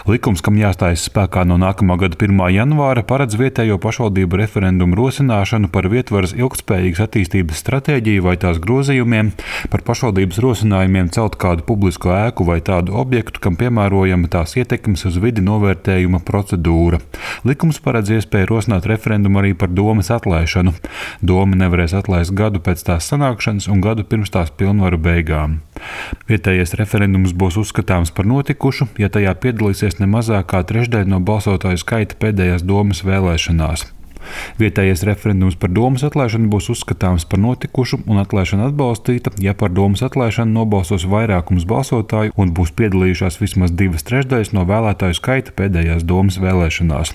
Likums, kam jāstājas spēkā no nākamā gada 1. janvāra, paredz vietējo pašvaldību referendumu rosināšanu par vietvaras ilgtspējīgas attīstības stratēģiju vai tās grozījumiem, par pašvaldības rosinājumiem celt kādu publisku ēku vai tādu objektu, kam piemērojama tās ietekmes uz vidi novērtējuma procedūra. Likums paredz iespēju rosināt referendumu arī par domes atlaišanu. Doma nevarēs atlaist gadu pēc tās sanākšanas un gadu pirms tās pilnvaru beigām. Vietējais referendums būs uzskatāms par notikušu, ja tajā piedalīsies ne mazāk kā trešdaļa no balsotāju skaita pēdējās domes vēlēšanās. Vietējais referendums par domes atlaišanu būs uzskatāms par notikušu un atlaišana atbalstīta, ja par domes atlaišanu nobalsos vairākums balsotāju un būs piedalījušās vismaz 2/3 no vēlētāju skaita pēdējās domes vēlēšanās.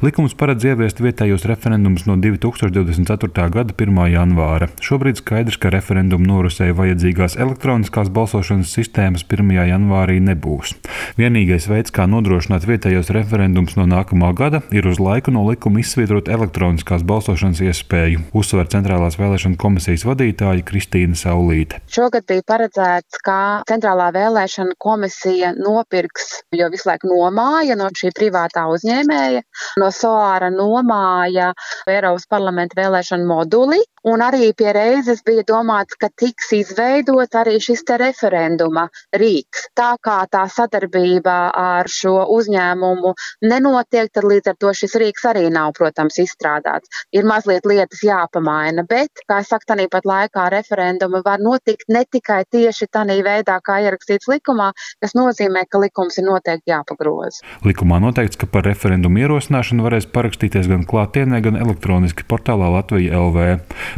Likums paredz ieviest vietējos referendumus no 2024. gada 1. janvāra. Šobrīd skaidrs, ka referendumu norisei vajadzīgās elektroniskās balsošanas sistēmas 1. janvārī nebūs. Vienīgais veids, kā nodrošināt vietējos referendumus no nākamā gada, ir uz laiku no likuma izsvītrot elektroniskās balsošanas iespēju, uzsver Centrālās vēlēšana komisijas vadītāja Kristīna Saulīte. Šogad bija paredzēts, ka Centrālā vēlēšana komisija nopirks, jo visu laiku nomāja no šī privātā uzņēmēja, no Solāra nomāja Eiropas parlamenta vēlēšana moduli, un arī pie reizes bija domāts, ka tiks izveidots arī šis te referenduma rīks. Tā kā tā sadarbība ar šo uzņēmumu nenotiek, tad līdz ar to šis rīks arī nav, protams, izstrādāts. Ir mazliet lietas jāpamaina, bet, kā es saku, tāpat laikā referendumi var notikt ne tikai tieši tādā veidā, kā ierakstīts likumā, kas nozīmē, ka likums ir noteikti jāpagroza. Likumā noteikts, ka par referendumu ierosināšanu varēs parakstīties gan klātienē, gan elektroniski portālā Latvija LV.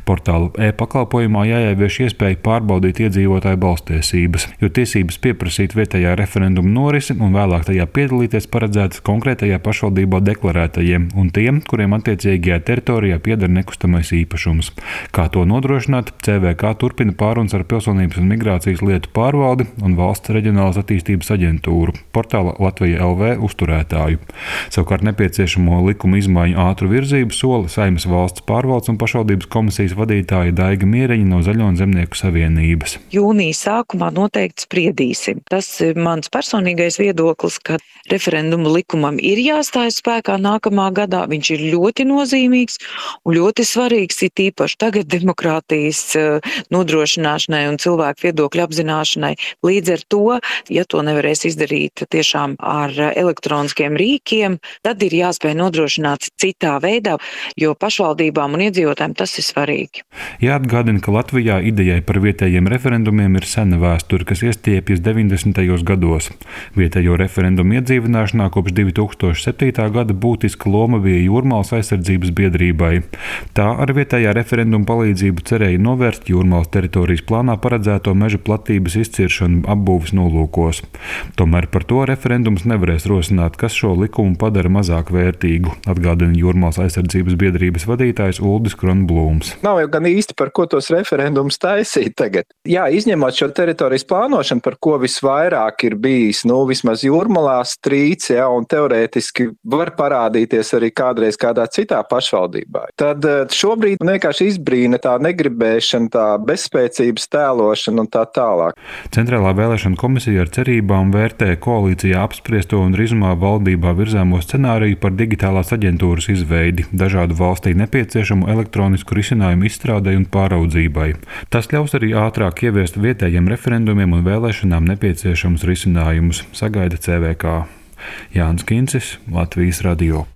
Portāla e-pakalpojumā jāievieš iespēja pārbaudīt iedzīvotāju balstiesības, jo tiesības pieprasīt vietējā referenduma norisi un vēlāk tajā piedalīties paredzētas konkrētajā pašvaldībā deklarētajiem un tiem, kuriem attiecīgajā teritorijā pieder nekustamais īpašums. Kā to nodrošināt, CVK turpina pārunas ar Pilsonības un migrācijas lietu pārvaldi un Valsts reģionālās attīstības aģentūru, portāla Latvija LV uzturētāju. Savukārt nepieciešamo likuma izmaiņu ātru virzību sola Saeimas valsts pārvaldes un pašvaldības komisijas vadītāja Daiga Mieriņa no Zaļo un Zemnieku savienības. Jūnija sākumā noteikti spriedīsim. Tas ir mans personīgais viedoklis, ka referendumu likumam ir jāstājas spēkā nākamā gadā. Viņš ir ļoti nozīmīgs un ļoti svarīgs, it īpaši tagad demokrātijas nodrošināšanai un cilvēku viedokļu apzināšanai. Līdz ar to, ja to nevarēs izdarīt tiešām ar elektroniskiem rīkiem, tad ir jāspēj nodrošināt citā veidā, jo pašvaldībām un iedzīvotājiem tas ir svarīgi. Jāatgādina, ka Latvijā idejai par vietējiem referendumiem ir sena vēsture, kas iestiepjas 90. gados. Vietējo referendumu iedzīvināšanā kopš 2007. gada būtiska loma bija Jūrmālas aizsardzības biedrībai. Tā ar vietējā referenduma palīdzību cerēja novērst Jūrmālas teritorijas plānā paredzēto meža platības izciršanu apbūves nolūkos. Tomēr par to referendums nevarēs rosināt, kas šo likumu padara mazāk vērtīgu, atgādina Jūrmālas aizsardzības biedrības vadītājs Uldis Kronblūms. Nav jau gan īsti par ko tos referendumus taisīt tagad. Jā, izņemot šo teritorijas plānošanu, par ko visvairāk ir bijis, vismaz Jūrmalā strīds, un teorētiski var parādīties arī kādreiz kādā citā pašvaldībā. Tad šobrīd vienkārši izbrīna tā negribēšana, tā bezspēcības tēlošana un tā tālāk. Centrālā vēlēšana komisija ar cerībām vērtē koalīcijā apspriesto un drīzumā valdībā virzāmo scenāriju par digitālās aģentūras izveidi, dažādu valstī nepieciešamu elektronisku risinājumu izstrādei un pāraudzībai. Tas ļaus arī ātrāk ieviest vietējiem referendumiem un vēlēšanām nepieciešamus risinājumus, sagaida CVK. Jānis Kincis, Latvijas radio.